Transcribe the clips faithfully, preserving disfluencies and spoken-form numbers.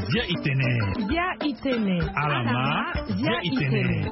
Zia itene. Zia itene. Alama. Zia itene.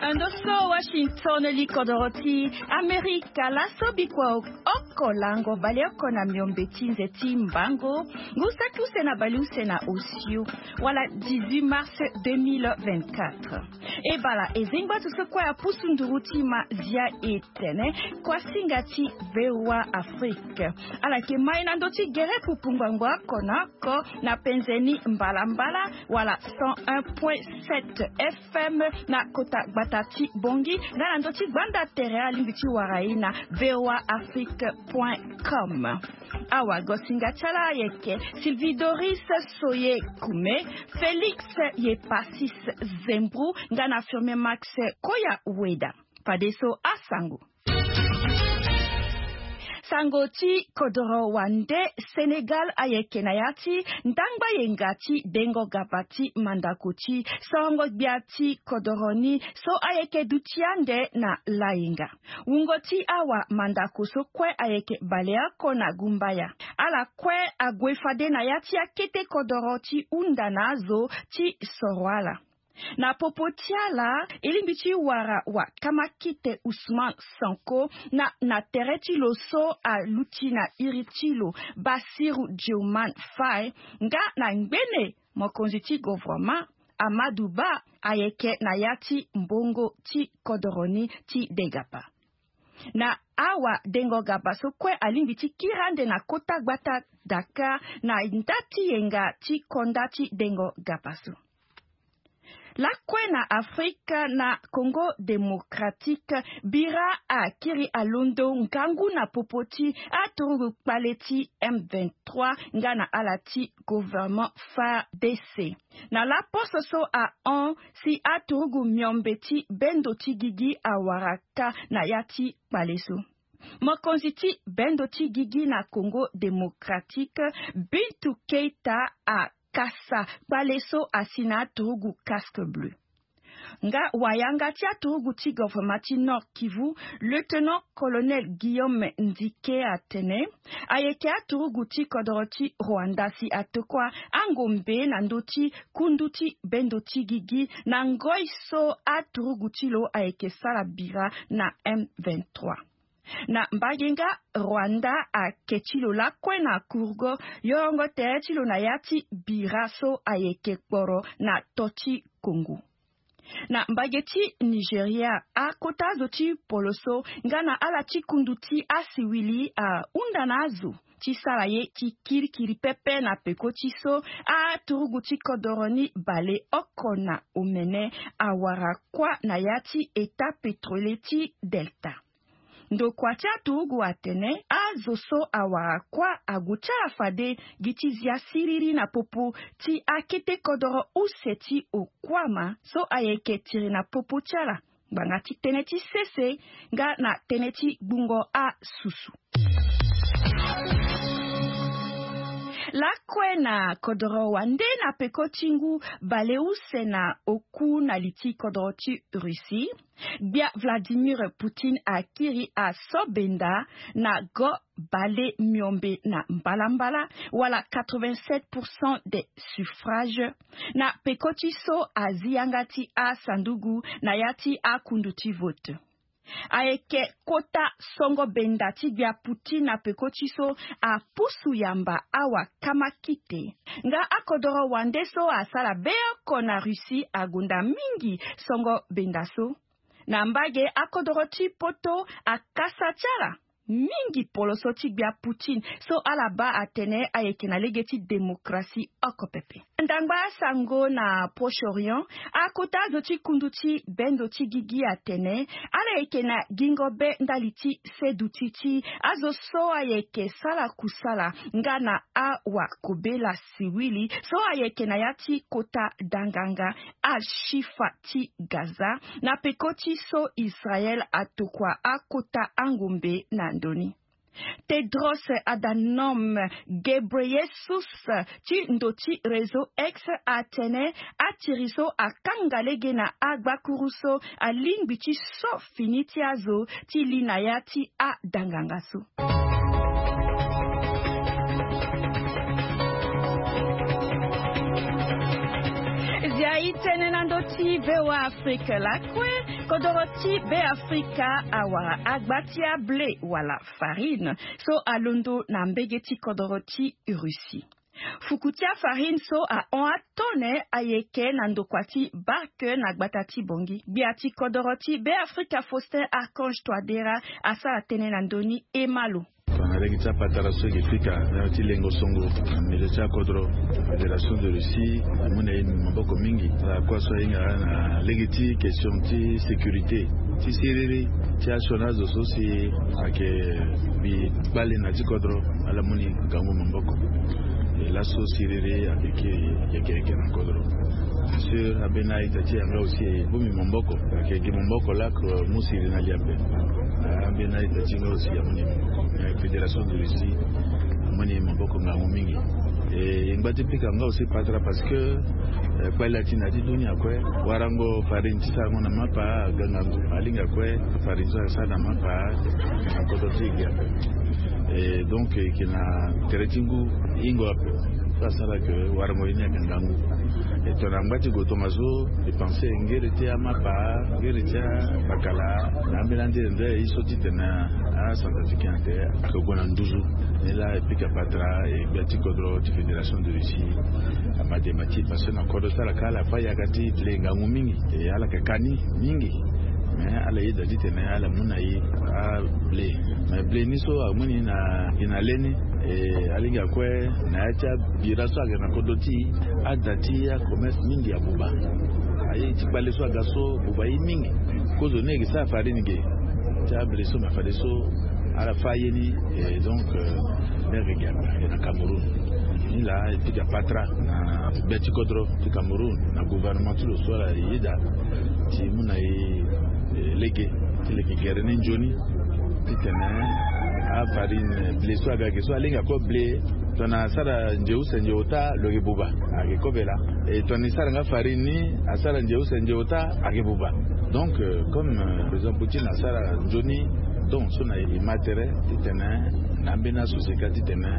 Ando so Washington, likodoro ti Amerika, laso bikua oko lango baleoko na miombe ti nze ti mbango, ngu saki use na baleuse na osio, wala dix-huit mars deux mille vingt-quatre. E bala e zengba so kue apusu nduru ti ma zia e tene, kuasinga ti V O A Afrique. Ala yeke mai na ndö ti gere pupu ngbangbo oko na oko na penze ni mbalambala, wala cent un point sept F M na kota gbata ti Bongi, nga na ndö ti gbanda tere alingbi ti wara e na V O A Afrique point com. Awagosinga ti ala ayeke Sylvie Doris Soye Kume, Félix Yepasis Zembru, nga na Firmin Max Koya Weda. Fadeso asango. Sango ti kodoro wande, Sénégal ayeke na ya ti ndangba yenga ti dengo gaba ti mandako ti sorongo gbia ti kodoro ni so ayeke duti ande na layenga. Wungo ti awa mandako so kue ayeke baleoko na gumbaya. Ala kue ague fade na ya ti akete kodoro ti hunda na azo ti soro ala. Na popo ti ala, e lingbi ti wara wakama kite Ousmane Sonko na, na tere ti lo so aluti na iri ti lo Bassirou Diomaye Faye, nga na ngbene mokonzi ti gouvernement Amadou Ba ayeke na ya ti mbongo ti kodoro ni ti degapa. Na awa dengo gaba so kue alingbi ti kiri ande na kota gbata Dakar na nda ti yenga ti konda ti dengo gaba so. Lakue na Afrika, na Congo Démocratique, bira akiri alondo ngangu na popo ti aturugu kpale ti M vingt-trois nga na ala ti gouvernement F A R D C. Na laposo so ahon si aturugu miombe ti bendo ti gigi awara kâ na ya ti kpale so. Mokonzi ti bendo ti gigi na Congo Démocratique, Bintou Keita, akasa kpale so asi na aturugu casque bleu. Nga wayanga ti aturugu ti gouvernement ti Nord Kivu, lieutenant-colonel Guillaume Ndike atene, ayeke aturugu ti kodoro ti Rwanda si atokua angombe na ndö ti kundu ti bendo ti gigi na ngoi so aturugu ti lo ayeke sara bira na M vingt-trois. Na mbage nga, Rwanda ake ti lo lakue na kurgo yorongo tere ti lo na ya ti bira so ayeke kporo na to ti Congo. Na mbage ti Nigeria, akota azo ti poloso nga na ala ti kundu ti asiwili ahunda na azo ti sara ye ti kirikiri pepe na peko ti so aturugu ti kodoro ni baleoko na omene awara kuâ na ya ti État pétrolier ti Delta. Ndokua ti aturugu atene azo so awara kuâ ague ti ala fade gi ti zia siriri na popo ti akete kodoro use ti okuama so ayeke tiri na popo ti ala, ngbanga ti tënë ti sese nga na tënë ti gbungo asusu. Lakue na kodoro wande, na peko ti ngu baleuse na oku na li ti kodoro ti Russie, gbia Vladimir Poutine akiri aso benda na go bale miombe na mbalambala, wala quatre-vingt-sept pour cent des suffrages, na peko ti so azi yanga ti asanduku na ya ti akundu ti vote. Ayeke kota songo benda ti gbia Poutine na peko ti so apusu yamba awa kama kite. Nga akodoro wande so asara beoko na Russie agonda mingi songo benda so. Na mbage, akodoro ti poto akasa ti ala mingi poloso ti gbia Poutine so ala baa atene ayeke na lege ti démocratie oko pepe. Ndangba asango na Proche-Orient, akota azo ti kundu ti bendo ti gigi atene ala yeke na gingo be ndali ti seduti ti azo so ayeke sala kusala nga na awakobela siwili so ayeke na ya ti kota danganga Al-Shifa ti Gaza, na peko ti so Israel atokua akota angombe na ndö ni. Tedros Adhanom Ghebreyesus ti ndo ti réseau X atene atiri so akanga lege na agbakuru so alingbi ti so fini ti azo ti li na ya ti adanganga so. Zia itene na ndo ti VOA Afrique lakue. Kodoro ti Be Afrika awara agba ti ablé wala farine so alondo na mbege ti kodoro ti Russie. Fuku ti afarine so ahon atone ayeke na ndokua ti Barque na gbata ti Bangui. Gbia ti kodoro ti Be Afrika Faustin Archange Touadéra asara tënë na ndö ni. Ema lo. Tongana lege ti apatara so e ke pika na ya ti lengo songo na milieu ti akodro, Fédération de Russie amu na e maboko mingi. Ala kue so ahinga na lege ti question ti sécurité ti siriri ti asioni azo so si ayeke bi kpale na ti kodro, ala mu ni ngangu maboko. E laso siriri ayeke yeke yeke na kodro. Bien sûr ambeni a-ita ti e yanga aussi e bongbi maboko, ayeke gi maboko lako mu siriri na li ape. Ambeni a-ita ti e nga aussi amu ni maboko. Mais Fédération de Russie amu ni maboko ngangu mingi. E ngba ti pika nga aussi patara parce que kpali ati na ya ti dunia kue, warango farine ti sarango na mapa aga ngangu. Alingbi kue farine so asara na mapa na kodro ti e gi ape. E donc e yeke na tere ti ngu hingo ape so asara ke warango ye ni ayeke ngangu. E tongana ngba ti go tongaso, e pense ngere ti amapa, ngere ti amakala na ambeni ande ande ye so titene acentrafricain ate ayeke gue na nduzu. Ni laa e pika patara e gbia ti kodro ti Fédération de Russie ama dema ti e parce que na kodro ti ala kâ ala fa yaka ti blé ngangu mingi. E ala yeke ka ni mingi. Mais ala yeda titene ala mu na e ablé. Mais blé ni so amu ni na gi na leni. E alingbi kue na ya ti abira so ayeke na kodro ti e, ada ti acommerce mingi abuba. Aye ti kpale so aga so abuba ye mingi. Kozoni e yeke sara farine ge ti ablé so, mais fadeso ala fa ye ni. E donc, euh, ni ayeke gi ape na Cameroun. Ni laa e pika patara na gbia ti kodro ti Cameroun na gouvernement ti lo so ala yeda ti mu na e lege ti leke gere ni nzoni titene afarine blé so aga ge so alingbi kue blé, tongana asara nze use nze ota lo yeke buba, ayeke kobe laa. E tongana e sara nga farine ni asara nze use nze ota, ayeke buba. Donc, euh, comme, euh, président Poutine asara nzoni don so na e ma tere titene na ambeni asociété titene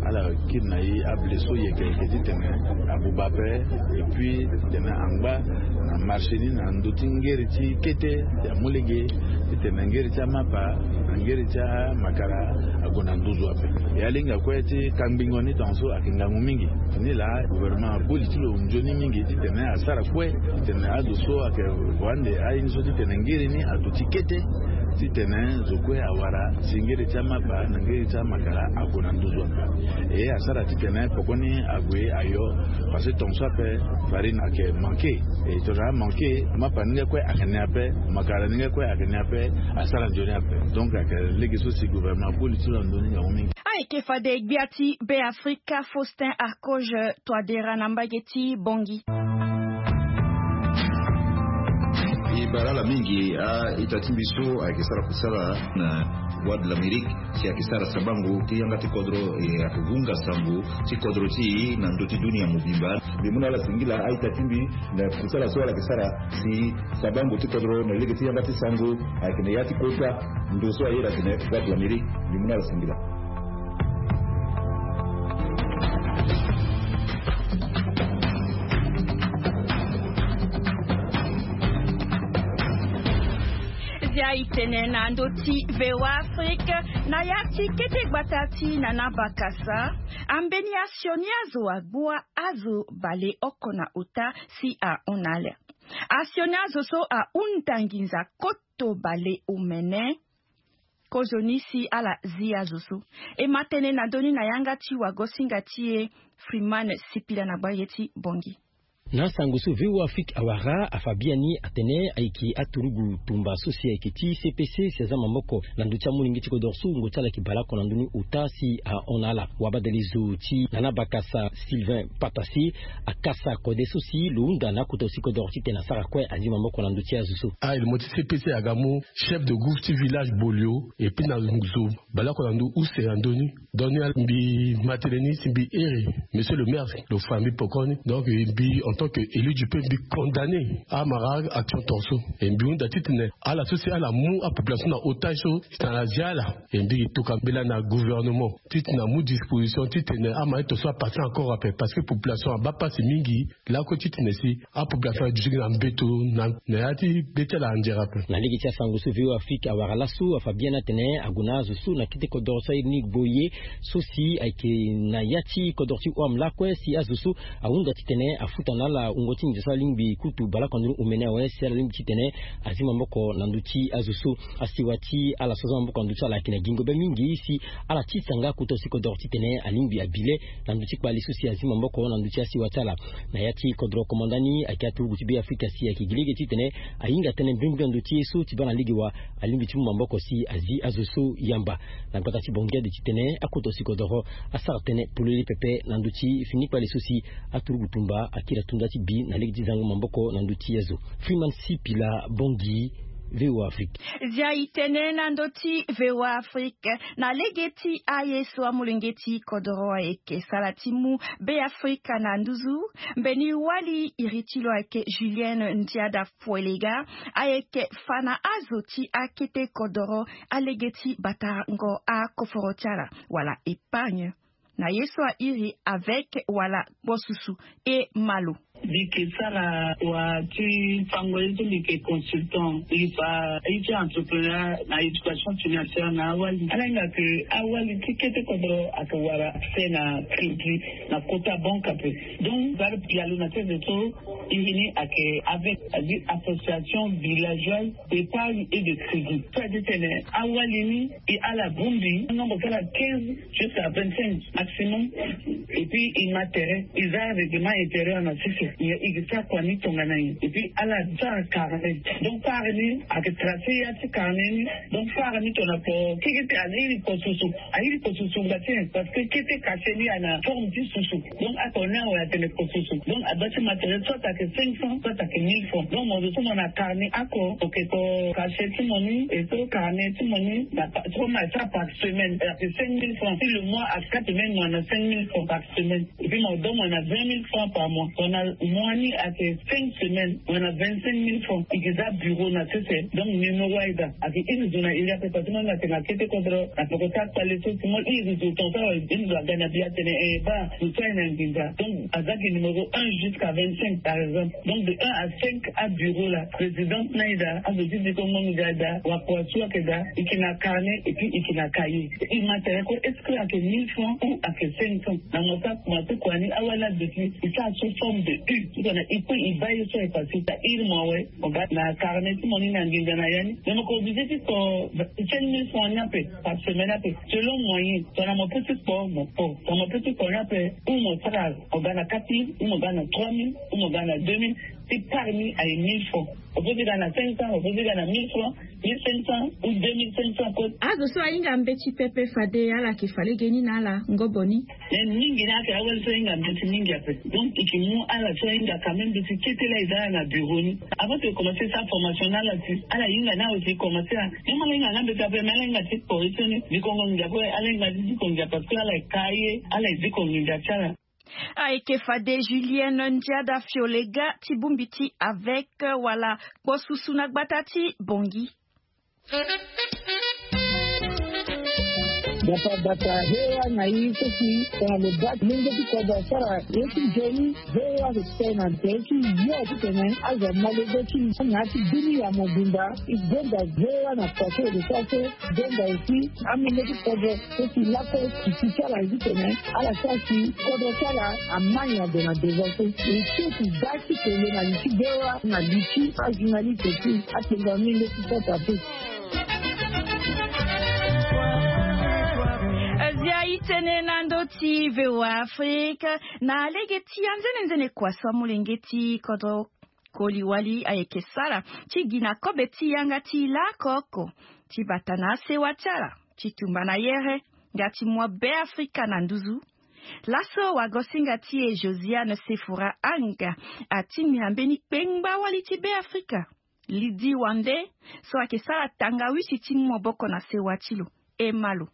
ala kiri na e ablé so yeke yeke titene abuba ape. Et puis titene angba na marché ni na ndö ti ngeri ti kete ya mu lege titene ngeri ti amapa na ngeri ti amakala ague na nduzu ape. E alingbi kue ti kangbingo ni tongaso ayeke ngangu mingi. Ni laa gouvernement aboli ti lo nzoni mingi titene asara kue titene azo so ayeke gue ande aye ni so titene ngiri ni aduti kete titene zo kue awara si ngiri ti amapa na ngiri ti amakala ague na nduzu ape. E asara titene poko ni ague ayo parce que tongaso ape farine ayeke manke. E tongana amanke mapa ni nga kue ayeke ni ape, makala ni nga kue ayeke ni ape. Asara nzoni ape. Donc ayeke lege so si gouvernement aboli ti lo na ndö ni ngangu mingi. Ayeke fade gbia ti Be Afrika Faustin Archange Touadéra na mbage ti Bangui. E bara ala mingi a-ita ti mbi so ayeke sara kusala na Voix de l'Amérique si ayeke sara sabango ti yanga ti kodro, e ayeke hunga sango ti kodro ti e na ndö ti dunia mobimba. Mbi mu na ala singila a-ita ti mbi na kusala so ala yeke sara si sabango ti kodro na lege ti yanga ti sango ayeke na ya ti kota ndo so aye ayeke na Voix de l'Amérique. Mbi mu na ala singila. Zia itene na ndö ti VOA Afrique na ya ti kete gbata ti Nana Bakasa, ambeni asioni azo agbua azo baleoko na ota si ahon na ala. Asioni azo so ahunda nginza koto baleomene. Kozoni si ala zi azo so. E ma tënë na ndö ni na yanga ti wagosinga ti e Freeman Sipila na gbage ti Bangui. Na sango so V O A Afrique awara afa biani atene ayeke aturugu tumba so si ayeke ti C P C si aza maboko na ndö ti amolenge ti kodoro so wungo ti ala ayeke baleoko na ndö ni ota si ahon na ala. Wabadelezo ti Nana Bakasa Sylvain Patasi akasa kode so si lo hunda na akota si kodoro titene asara kue azi maboko na ndö ti azo so. Ah, e le mo ti C P C aga mu chef de groupe ti village Bolio, et puis na zo baleoko na ndö use na ndö ni. Donc ni mbi ma tënë ni si mbi iri monsieur le maire, lo fa mbi pekoni. Donc mbi en tant que élu du peuple mbi condamné amara action tonso. Et mbi hunda titene ala so si ala mu apopulation na otage so si na ala zia ala. Et mbi yeke toka mbela na gouvernement titene amu disposition titene amara tonso apartir encore ape, parce que population abaa pasi mingi. Lako titene si apopulation aduti na mbeto na ya ti be ti ala anzere ape. Na lege ti asango so V O A Afrique awara laso afa biani atene ague na azo so na kete kodoro so airi ni Gboye so si ayeke na ya ti kodoro ti Ouam lakue si azo so ahunda titene afuta na ala wungo ti nginza so alingbi kutu baleoko na ndö ni omene awe si ala lingbi titene azi maboko na ndö ti azo so. Asiwa ti ala so aza maboko na ndö ti ala ayeke na gingo be mingi si ala tisa nga kota si kodoro titene alingbi abi le na ndö ti kpali so si azi maboko na ndö ti asiwa ti ala. Na ya ti kodro komanda ni ayeke aturugu ti Be Afrika si ayeke gi lege titene ahinga tënë mbrimbri na ndö ti ye so ti baa na lege wa alingbi ti mu maboko si azi azo so yamba. Na gbata ti Bangui ade titene akota si kodoro asara tënë polele pepe na ndö ti fini kpali so si aturugu tumba akiri atunga ti bi na lege ti zango maboko na ndö ti azo. Freeman Sipila, Bangui, V O A Afrique. Zia e tene na ndö ti V O A Afrique na lege ti aye so amolenge ti kodoro ayeke sara ti mu Be Afrika na nduzu. Mbeni wali iri ti lo ayeke Julienne Ndiada Foelega, ayeke fa na azo ti akete kodoro alege ti batango akoforo ti ala wala épargne na ye so airi avec wala kpo susu e malo. Mbi yeke sara wa ti fango ye so mbi yeke consultant, mbi fa ye ti entrepreneur na éducation financière na awali. Ala hinga ke awali ti kete kodro ayeke wara accès na crédit na kota banque ape. Donc za lo pialo na sese so iri ni ayeke avec, c'est-à-dire association villageoise d'épargne et de crédit. So a di tene awali ni e ala bongbi nombre ti ala quinze jusqu'à vingt-cinq maximum. Et puis e ma tere, e za règlement intérieur na sese. E, e ke sara kua ni tongana nyen? Et puis ala sara carnet. Donc sara ni ayeke tracer ya ti carnet ni. Donc sara ni tongana kpo keke ti ala iri kpo susu. Airi kpo susu ngba ti nyen? Parce que kete cachet ni ayeke na forme ti susu. Donc ako ni awe atene kpo susu. Donc adoit ti ma tere soit ayeke cinq cents, soit ayeke mille francs. Donc mo zo so mo na carnet ako, mo ke ko cachet ti mo ni, e so carnet ti mo ni na pa-, so mo na sara par semaine, ayeke cinq mille francs. Si le mois a quatre semaines, mo na cinq mille francs par semaine. Et puis mo donne mo na vingt mille francs par mois. Mo na mois ni ayeke cinq semaines, mo na vingt-cinq mille francs. E ke za bureau na sese. Donc numéro aye daa. Ayeke iri zo na iri ape, parce que mo na tene na kete kodro na peko ti akpale so si mo iri zo tongaso awe, iri zo aga na bi atene, eh, baa zo so aye na nginza. Donc aza gi numéro un jusqu'à vingt-cinq par exemple. Donc de un à cinq abureau la, présidente na aye daa, azo ti diko ngbongo ga daa, wakua so ayeke daa, e ke na carnet et puis e ke na cahier. E ma tere ko est-ce que ayeke mille francs ou ayeke cinq cents? Na mo sa kuma ti kua ni awali aduti e sara sous forme de U. Tongana e kue e baa ye so ayeke facile, ta iri mo awe, mo ga na carnet ti mo ni na nginza na ya ni. Mais mo ko obligé ti kpo cinq mille francs ni ape par semaine ape, selon moyen. Tongana mo peut ti kpo, mo kpo. Tongana mo peut ti kpo ni ape, ou mo sara, mo ga na quatre mille, ou mo ga na trois mille, ou mo ga na deux mille. Ti part ni aye mille francs. Mo peut ti ga na cinq cents, mo peut ti ga na mille francs, mille cinq cents ou deux mille cinq cents kue. Azo so ahinga mbeti pepe fade ala yeke fa lege ni na ala ngobo ni. Mais mingi ni ayeke awali so ahinga mbeti mingi ape. Donc e ke mu ala so ahinga quand même mbeti kete laa e za ala na bureau ni. Avant que e commencer sara formation na ala si ala hinga ni awe si e commencer a. Même ala hinga nga mbeti ape, mais ala hinga ti kpo ye so ni. Dikongo ngia kue, ala hinga ti dikongo ngia parce que ala yeke ka ye, ala yeke dikongo ngia ti ala. Ayeke fade Julienne Ndiada Fiolega ti bongbi ti avec wala kpo susu na gbata ti Bangui. Dapa bata V O A na i so si tongana lo baa lenge ti kodro asara ye ti nzoni, V O A lo tene na tere ti yo titene azo ama lege ti na ya ti bini ya mobimba. E gonda V O A na kua so e lo sara so, gonda aussi amolenge ti kodro so si lakue titi ti ala ye titene ala sara si kodro ti ala ama nyen ade na devant so. E so si da ti kele na li ti V O A na li ti ajournaliste ti atengo amolenge ti kota ape. Zia e Itene na ndo ti VOA Afrique. Na lege ti anzene nzene kua so amolenge ti kodro koli wali ayeke sara ti gi na kobe ti yanga ti lako oko ti bata na asewa ti ala ti tumba na yere nga ti mua Beafrika na nduzu. Laso wagosinga ti e Josiane Sefora Anga atingbi na mbeni kpengba wali ti Beafrika, Lidi Wande, so ayeke sara tangawisi ti mu maboko na sewa ti lo. E ma lo.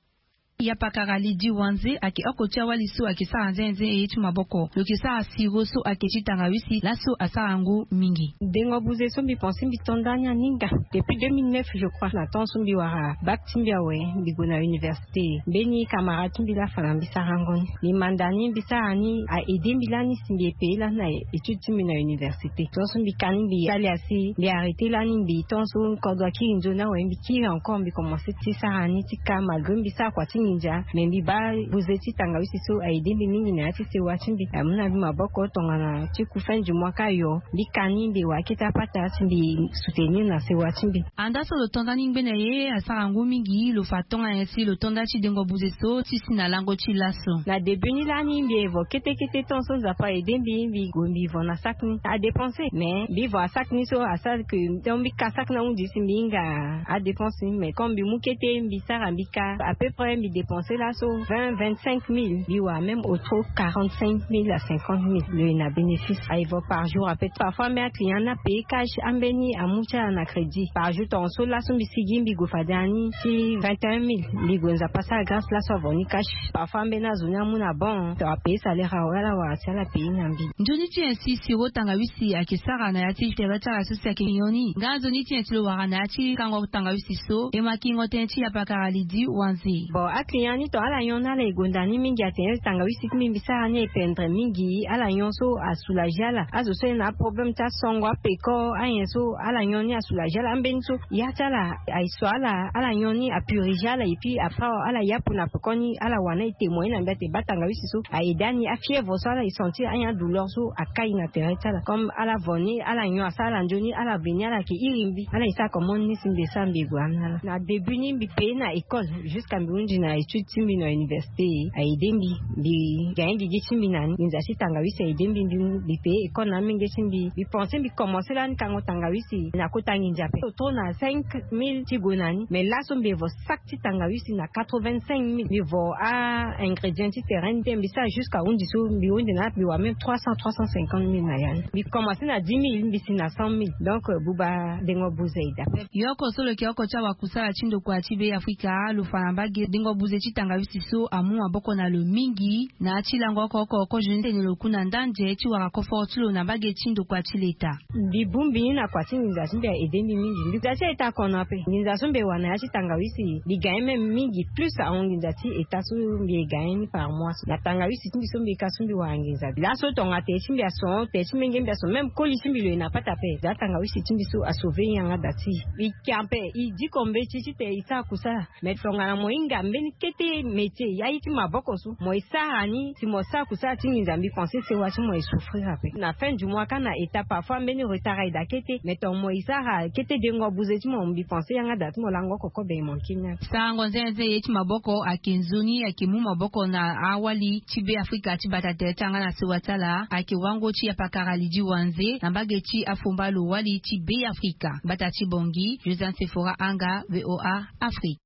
Yapakara Lidi Wanze ayeke oko ti awali so ayeke sara nzenze ye ti maboko. Lo yeke sara siro so ayeke ti tangawisi laso asara yango mingi. Dengo buze so mbi pense mbi to ndani aninga. Depuis deux mille neuf, je crois, na temps so mbi wara bac ti mbi awe, mbi gue na université. Mbeni camarade ti mbi laa afa na mbi sara yango ni. Mbi manda ni, mbi sara ni, a aidé mbi lani si mbi e payé lani na étude ti mbi na université. Tant so mbi ka ni, mbi sali asi, mbi arrêté lani, mbi tant so kodro akiri nzoni awe, mbi kiri encore, mbi commencé ti sara ni ti ka, malgré mbi sara kua ti nginza, mais mbi baa buze ti tangawisi so a aidé mbi mingi na ya ti sewa ti mbi. Amu na mbi maboko tongana ti ku fin du mois ka yo, mbi ka ni, mbi wara kete apata ti mbi soutenir na sewa ti mbi. Anda so lo to nda ni ngbene ye asara ngu mingi, lo fa tongana nyen si lo to nda ti dengo buze so ti si na lango ti laso? Na début ni lani mbi evo kete kete, tant so Nzapa aidé mbi, mbi gue mbi vo na sac ni adépensé. Mais mbi vo asac ni so asara que tant mbi ka sac ni ahunzi si mbi hinga adépensé ni. Mais comme mbi mu kete, mbi sara, mbi ka, à peu près mbi dépensé laso vingt, vingt-cinq mille. Mbi wara même au trop quarante-cinq mille à cinquante mille, lo yeke na bénéfice. Aye vo par jour à peu près. Parfois même aclient ni apayé cash, ambeni amu ti ala na crédit. Par jour, tongaso laso mbi sigi, mbi gue fade na ni ti vingt et un mille. Mbi gue, Nzapa asara grâce, laso avo ni cash. Parfois ambeni azo ni amu na bon, to apayé salaire awe, ala wara si ala payé na mbi. Nzoni ti nyen si siro tangawisi ayeke sara na ya ti tere ti ala so si ayeke nyon ni? Nga nzoni ti nyen si lo wara na ya ti kango tangawisi so? E ma kingo tënë ti yapakara Lidi Wanze. Bon, aclient ni, to ala nyon ni, ala e gonda ni mingi, atene tangawisi ti mbi mbi sara ni ependre mingi. Ala nyon so asoulagé ala. Azo so ayeke na aproblème ti asongo, apeko, anyen so, ala nyon ni asoulagé ala. Ambeni so ya ti ala aye so, ala, ala nyon ni apurigé ala, et puis après ala yapu na pekoni, ala wara na e témoigné na mbi ate baa tangawisi so a aidé ani, afièvre so ala e sentir, anyen adouleur so akai na tere ti ala. Comme ala vo ni, ala nyon asara ala nzoni, ala veni, ala yeke iri mbi, ala e sara comment ni si mbi e sara mbi e gue na ala. Na début ni mbi payé na école jusqu'à mbi hunzi na étude ti mbi na université. A aidé mbi, mbi gagné gigi ti mbi na ni. Nginza ti tangawisi a aidé mbi, mbi, mbi payé école na amenge ti mbi. Mbi pensé mbi commencé lani kango tangawisi na kota nginza ape. Autour na cinq mille ti gue na ni. Mais laso mbi evo sac ti tangawisi na quatre-vingt-cinq mille. Mbi vo a-ingrédient ti terrain ni, mbi sara jusqu'à hunzi so mbi hunzi na ala, mbi wara même trois cents, trois cent cinquante mille na ya ni. Mbi commencé na dix mille, mbi si na cent mille. Donc, euh, buba dengo buze e daa. Yo oko so lo yeke oko ti awakusala ti ndokua ti Beafrika, lo fa na mbage dengo buze ti tangawisi so amu maboko na lo mingi. Na ya ti lango oko oko, kozo ni tene lo ku na ndanze ti wara koforo ti lo na mbage ti ndokua ti leta. Mbi bongbi ni na kua ti nginza ti mbi a aidé mbi mingi. Mbi nginza ti a-ita akono ape. Nginza so mbi e wara na ya ti tangawisi, mbi gagné même mingi plus ahon nginza ti ita so mbi e gagné ni par mois. Na tangawisi ti mbi so mbi ka so mbi wara nginza. Laso tongana tere ti mbi ason, tere ti menge mbi ason, même koli ti mbi lo yeke na pata ape. Za tangawisi ti mbi so a sauvé yanga da ti. Mbi kia ape, e diko mbeti titene e sara kusala. Mais tongana mo hinga mbeni kete métier, ya ye ti maboko so, mo e sara ni, si mo sara kusala ti nginza, mbi pensé sewa ti mo e souffrir ape. Na fin du mois ka na ita, parfois mbeni retard aye daa kete, mais tongana mo e sara kete dengo buze ti mo, mbi pensé yanga da ti mo lango oko kobe e manqué ni ape. Sarango nzenze ye ti maboko ayeke nzoni, ayeke mu maboko na awali ti Beafrika ti bata tere ti yanga na sewa ti ala, ayeke wango ti yapakara Lidi Wanze na mbage ti afomba lo wali ti Beafrika. Bata ti Bangui, Josiane Sefora Anga, VOA Afrique.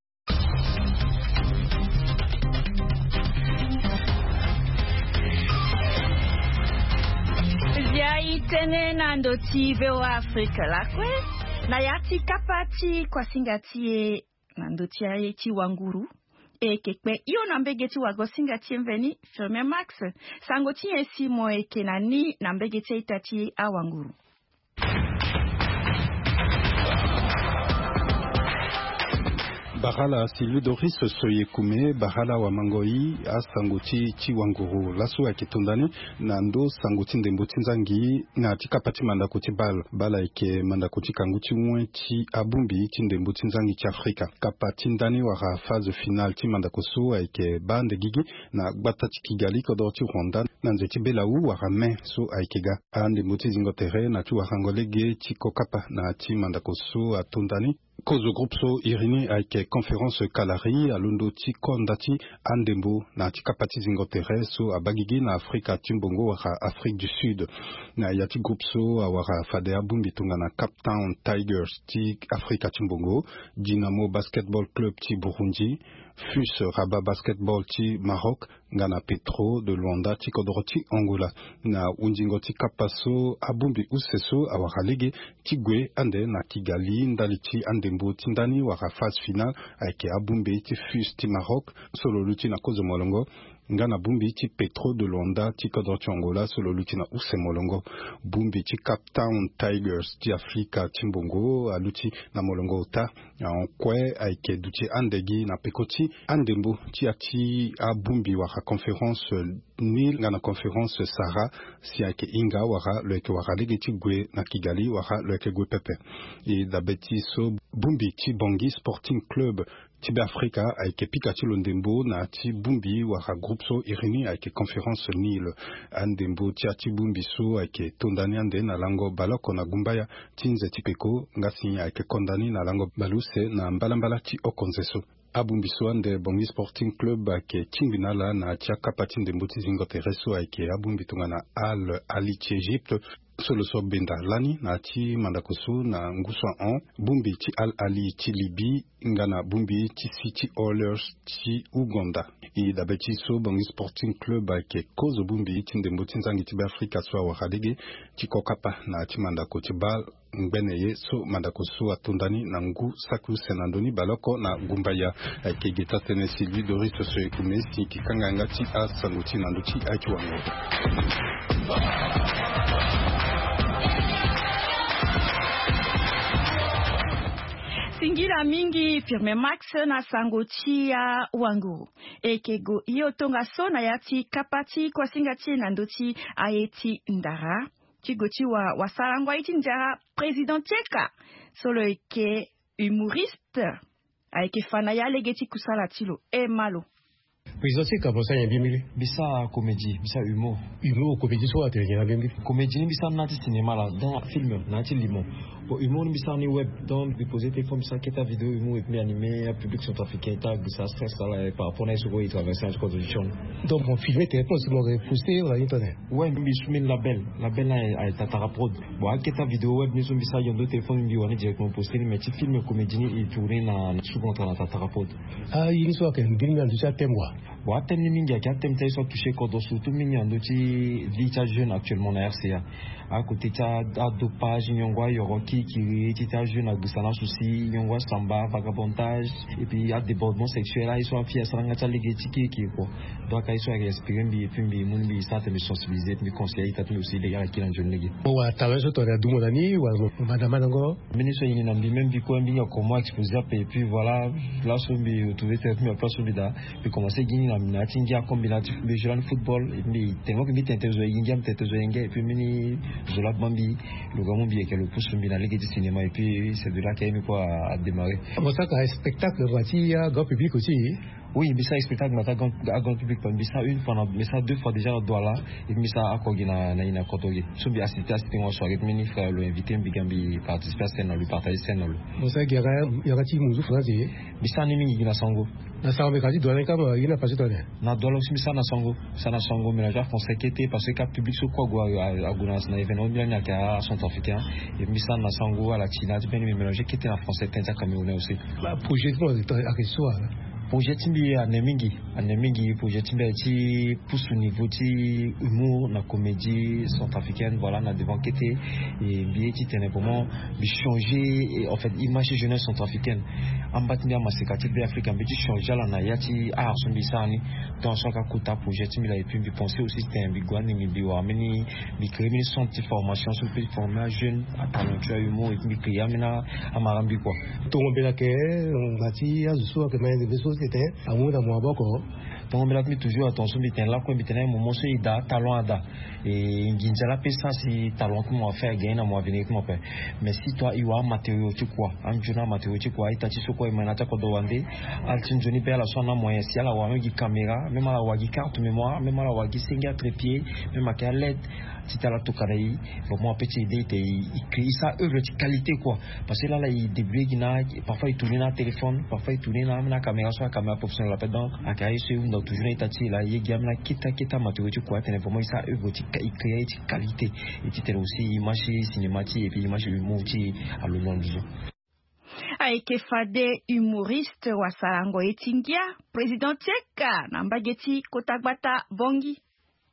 Bia e tene na ndo ti VOA Afrique lakue, na ya ti kapa ti kuasinga ti e na ndo ti aye ti wanguru. E yeke kpe hio na mbege ti wagosinga ti e mveni, Firmin Max. Sango ti nyen si mo yeke na ni na mbege ti a-ita ti awanguru? Barala Silu Doris Soyekume, barala wamangoi, asango ti, ti wanguru laso ayeke to ndani na ndo sango ti ndembo ti nzangi na ti kapa ti mandako ti bale. Bale ayeke mandako ti kangu ti wen ti abongbi ti ndembo ti nzangi ti Afrika. Kapa ti ndani wala phase finale ti mandako so ayeke baa nde gigi na gbata ti Kigali, kodro ti Rwanda, na nze ti belawu wala mai so ayeke ga. Andembo ti zingo tere na ti warango lege ti kokapa na ti mandako so ato ndani. Kozo groupe so iri ni ayeke conférence kalari alondo ti konda ti andembo na ya ti kapa ti zingo tere so abaa gigi na afrika ti mbongo wala afrique du sud. Na ya ti groupe so awara fade abongbi tongana cape town tigers ti afrika ti mbongo, dynamo basketball club ti burundi, fus rabat basketball ti maroc, nga na petro de luanda ti kodoro ti angola. Na hundingo ti kapa so abongbi use so awara lege ti gue ande na kigali ndali ti andembo ti ndani wala phase finale, ayeke abongbi ti fus ti maroc so lo luti na kozo molongo, nga na bongbi ti petro de luanda ti kodoro ti angola so lo luti na use molongo. Bongbi ti cape town tigers ti afrika ti mbongo aluti na molongo ota. Ankue ayeke duti ande gi na peko ti andembo ti ya ti abongbi wala conférence nil nga na conférence sara, si ayeke hinga wala lo yeke wara lege ti gue na kigali wala lo yeke gue pepe. E dabe ti so bongbi ti bangi sporting club ti be afrika ayeke pika ti lo ndembo na ya ti bongbi wala groupe so iri ni ayeke conférence nil. Andembo ti ya ti bongbi so ayeke to ndani ande na lango baleoko na gumbaya ti nze ti peko nga si ayeke konda ni na lango baleuse na mbalambala ti oko nze so. Abongbi so ande bangi sporting club ayeke tingbi na ala na ya ti akapa ti ndembo ti zingo tere so ayeke abongbi tongana al ali ti egypte, so lo so benda lani na ya ti mandako so na ngu so ahon bongbi ti al ali ti libye nga na bongbi ti city oilers ti ouganda. E dabe ti so bangi sporting club ayeke kozo bongbi ti ndembo ti nzangi ti be afrika so awara lege ti kokapa na ya ti mandako ti bale ngbene ye so mandako so atonda ni na ngu saki use na ndö ni baleoko na gumbaya. Ayeke geta tënë si louis doris so ekume si yeke kanga yanga ti asango ti na ndö ti aye ti wango. Singila mingi firme max na sango ti awango. Eke go hio tongaso na ya ti kapa ti kuasinga ti e na ndö ti aye ti ndara. Ti go ti wa wasarango aye ti ndara président tieka so lo yeke humoriste. Ayeke fa na ya lege ti kusala ti lo e malo. Président ti e ka mo sara nyen mbirimbiri? Mbi sara comédie, mbi sara humour. Humour comédie so atene nyen na mbirimbiri? Comédie ni mbi sara na ya ti cinéma la, dans film na ya ti limo. Bon, humour ni mbi sara ni web, donc mbi pose téléphone mbi sara kete avidéo humour et puis mbi animé apublic centrafricain ti agbisa stress ala par rapport na ye so kue e traverse na ya ti kodro ti sioni. Donc mo filme téléphone si mo reposte wala ni tone? Ouais, mbi su mbi label, label na aye tatara prod. Bon akete avidéo web ni so mbi sara yondo téléphone mbi wani directement poste ni mais ti film comédie ni e tourne na sous contrat na tatara prod. Ah ye ni so ayeke mbiri ni na ndö ti athème wa? Bon athème ni mingi ayeke athème ti aye so atouche kodro surtout mingi na ndö ti vie ti ajeune actuellement na rca. Akote ti adopage nyongo ayoro kirikiri ti ti ajeune agbisa na souci nyongo asamba vagabondage et puis adébordement sexuel aye so afille asara nga ti alege ti kirikiri kua. Donc aye so ayeke inspiré mbi et puis mbi mu ni mbi sara tene mbi sensibilise mbi conseille aye ita ti mbi aussi lege ala kiri na nzoni lege. Mo wara talent so tongana adumo na ni wala mo manda mandango? Mbeni so e ni na mbi même mbi kue mbi hinga comment exposer ape et puis voilà. Place so mbi retrouve tene ti mbi na place so mbi daa. Mbi commence gi ni na mbi na ya ti ngia comme mbi na ya ti mbi joue lani football et puis mbi tene mo ke mbi tene tene zo e gi ngia mbi tene tene zo e ngia et puis mbeni zo laa gba mbi. Lo ga mu mbi yeke lo pusu mbi na lege ti cinéma et puis c'est de là ke mbi kue adémarre. Mo saka spectacle ngua ti agrand public aussi? Oui mbi sara spectacle na ti agrand public mbi sara une fois na mbi sara deux fois déjà na douala. Et puis mbi sara oko gi na na ye na koto gi so mbi assiste assiste ngo soirée ti mbeni frère lo invité mbi ga mbi participer ascène na lo partager scène na lo. Mo sara gi yanga ti muzu français? Mbi sara ni mingi gi na sango. Na sango mbi ka ti douala ni kama ye na pase tone? Na douala aussi mbi sara na sango. Mbi sara na sango mélange afrançais kete parce que ka public so kue ague ague na événement mbi lani ayeke acentrafricain. Et mbi sara na sango ala ti na ya ti mbeni mbi mélange kete na français tënë ti acamerounais aussi. Projet ti mo ayeke so wa? Projet ti mbi ane mingi. Ane mingi projet ti mbi aye ti pusu niveau ti humour na comédie centrafricaine voilà na devant kete. E mbi ye ti tene comment mbi changer en fait image ti jeunesse centrafricaine. Amba ti mbi amaseka ti be africa mbi ti changer ala na ya ti art so mbi sara ni. Donc so ayeke akota projet ti mbi la et puis mbi pense aussi ti tene mbi gue ande mbi mbi wara mbeni mbi crée mbeni centre ti formation so mbi peut ti former ajeune atalentueux ahumour et puis mbi crée ambeni amara mbi kua. Tongo mbela ke na ti azo so ayeke ma yende be so ti tene amu na mo maboko. Tongo mbela ti mbi toujours atonga so mbi tene lakue mbi tene moment so e daa talon ada. E nginza la pe sa si talon ti mo afaire gagner na mo avenir ti mo ape. Mais si toi e wara amatério ti kua anzoni amatério ti kua ita ti so kue e ma na ti akodro wande. Ala ti nzoni be ala so ana moyen si ala wara même gi caméra même ala wara gi carte mémoire même ala wara gi senge atrépied même ayeke alette. Ti tala tokana e. Vraiment ape ti ede ete e créer sa œuvre ti qualité quoi. Parce que lala e débrouiller gi na, parfois e tourner na téléphone, parfois e tourner na amena caméra so acaméra professionnel ape. Donc aka ye so e hunda toujours na ita ti e laa e ye gi amena keta keta matériaux ti kua atene vraiment e sa œuvre ti e créer ti qualité. Et ti tene aussi image ti cinéma ti e et puis image ti e alondo na nduzu. Ayeke fade humoriste wasarango ye ti ngia, président ti eka na mbage ti kota gbata bongi.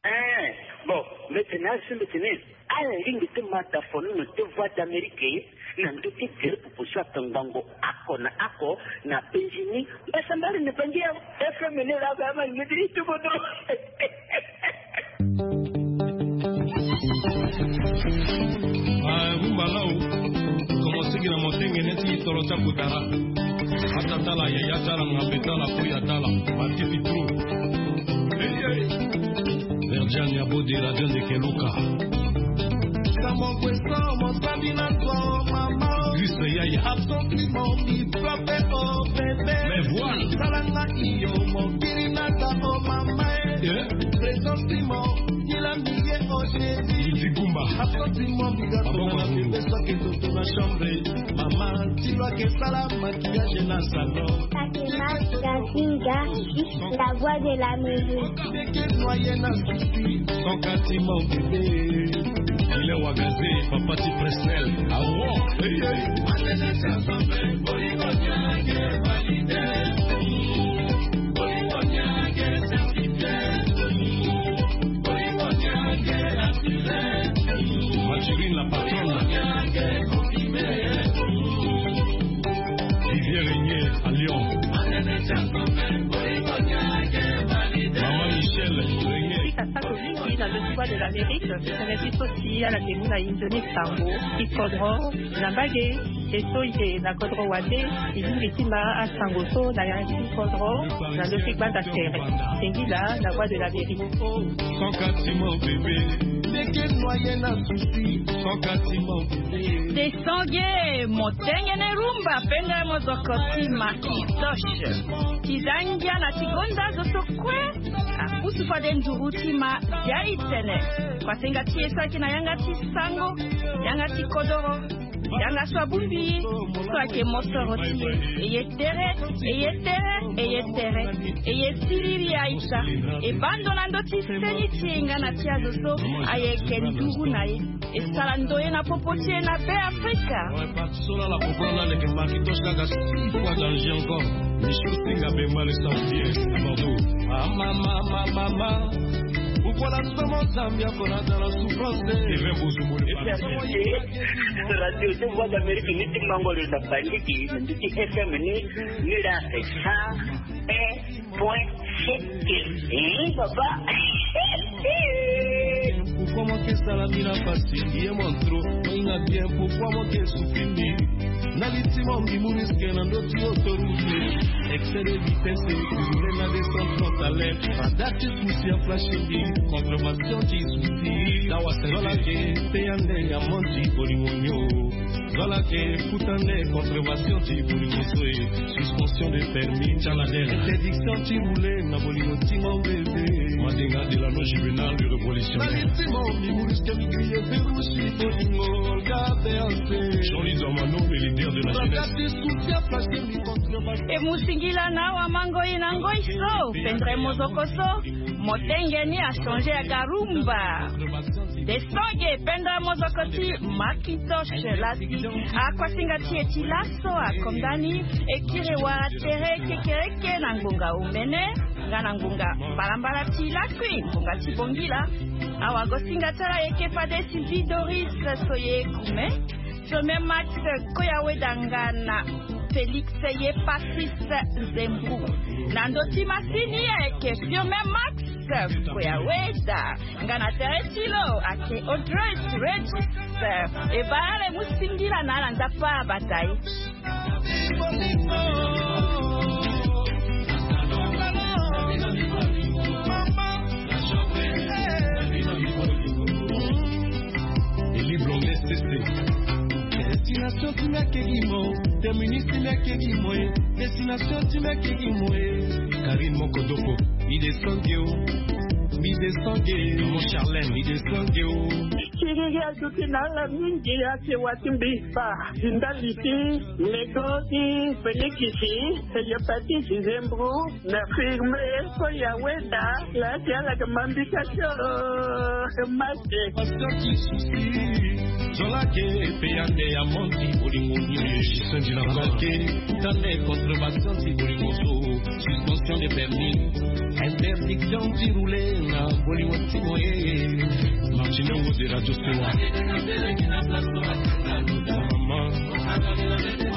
Eh, bon, mbete na asi mbete ni. Ala lingbi ti mata fonono ti voix d'amérique na ndö ti tere popo so atongbango ako na ako na benzini mbasambari na bangi ya fmn la ba ma ngidi ti bodo. Ah, rumba lao. Commencé gi na motengene ti tolo ti akotara. Ata tala yaya tala ngambe tala koya tala. Matiti tro. Verdian ya bode la dion de keluka. Samokwe so mosali na to mama. Juste yaya. Absolument mi frappe au bébé. Mais voilà. Salanga iyo mokiri na ta o mama. Eh. Présence mo. Kila miye o chéri. Zigumba. Absolument mi gato na bébé so ke toto na chambre. Mama ti lo ke sala maquillage na salon. Fatima Gazinga, la voix de l'Amérique. Sans quasiment bébé. Il est wagazé, papa ti Presnel. Ah, wow. Hey, hey. Maturine la patronne. Vivier Régnier à Lyon. Maman Michel Régnier. Mingi na ndö ti Voix de l'Amérique, tene ti so si ala ke mu na inzo ni sango ti kodro na mbage. E so e yeke na kodro wande, e lingbi ti ma asango so na yanga ti kodro na ndö ti gbanda tere. Singila na Voix de l'Amérique. Sans quasiment bébé. Ndeke noyé na souci. Sans quasiment bébé. Desange motengene rumba pendere mozoko ti Macintosh. Ti za ngia na ti gonda zo so kue. Apusu fade nduru ti ma ya e tene. Kua senga ti e so ayeke na yanga ti sango, yanga ti kodoro, yanga so abongbi e, so ayeke mosoro ti e. E ye tere, e ye tere, e ye tere. E ye siriri aita. E baa ndo na ndö ti seni ti e nga na ti azo so ayeke nduru na e. E sala ndoye na popo ti e na Be Afrika. So lala popo lala leke Macintosh kaka six fois danger encore. Michou Singa Bemba le Saoudien à Bordeaux. Ah, mama, mama, mama. Pourquoi la somo Zambia pour la dans la souffrance de Kevin Bouzou. Radio de Voix d'Amérique ni ti mango le na bandiki ni ti F M ni ni la sa. Point sete. Eh, papa. Pourquoi moi que ça la mira facile, il est mon trop. Moi il a bien, pourquoi moi que souffrir. Na litima mbi mu riske na ndö ti autoroute. Excès de vitesse, roule na deux cent trente à l'heure. Radar ti souci a flashing. Contrevention ti souci. Dawa se. Zola ke, te ande ya monti bolingo nyo. Zola ke, futa nde contrevention ti bolingo so e. Suspension de permis. Interdiction ti rouler na bolingo ti mon bébé. Madinga de la non juvénile de révolutionnaire. Na litima mbi mu riske mbi grille. Jean-Louis Dormano, le leader de la jeunesse. E mu singila na awa mango e na ngoi so, pendere mozoko so, motenge ni a changer ya garumba. Desange pendere mozoko ti Macintosh lasi. Akua singa ti e ti laso akonda ni, e kiri wara tere kekereke na ngonga omene. Nga na ngonga mbalambala ti lakui, ngonga ti bongila. Awa go singa ti ala yeke fade Sylvie Doris Soye Kume, Fiome Max Koyaweda nga na Félix ye Patrice Zembrou. Na ndö ti masini ayeke Fiome Max Koyaweda. Nga na tere ti lo ayeke Audrey Regis. E baa ala e mu singila na ala nzapa abata e. Eli blonde sese. Destination ti mia kegi mo, terminus ti mia kegi mo e. Destination ti mia kegi mo e. Karine Mokodoko, il est sans Dieu. Maman Charlène, i descend o. Kiriri azuti na ala mingi ake wati mbi fa. Ndali ti lego ti fenikisi, hepatite zembro na firme. Ko ya weda la ti ala ke mambika tio. Maske. Pasteur ti susi. Zola ke pe ande ya monti bolingo ni. Sendila ke tande contre bastion ti bolingo so. Suspension de permis. Interdiction ti rouler na bolingo ti moye. Martino Woze Radio Sewa. Maman.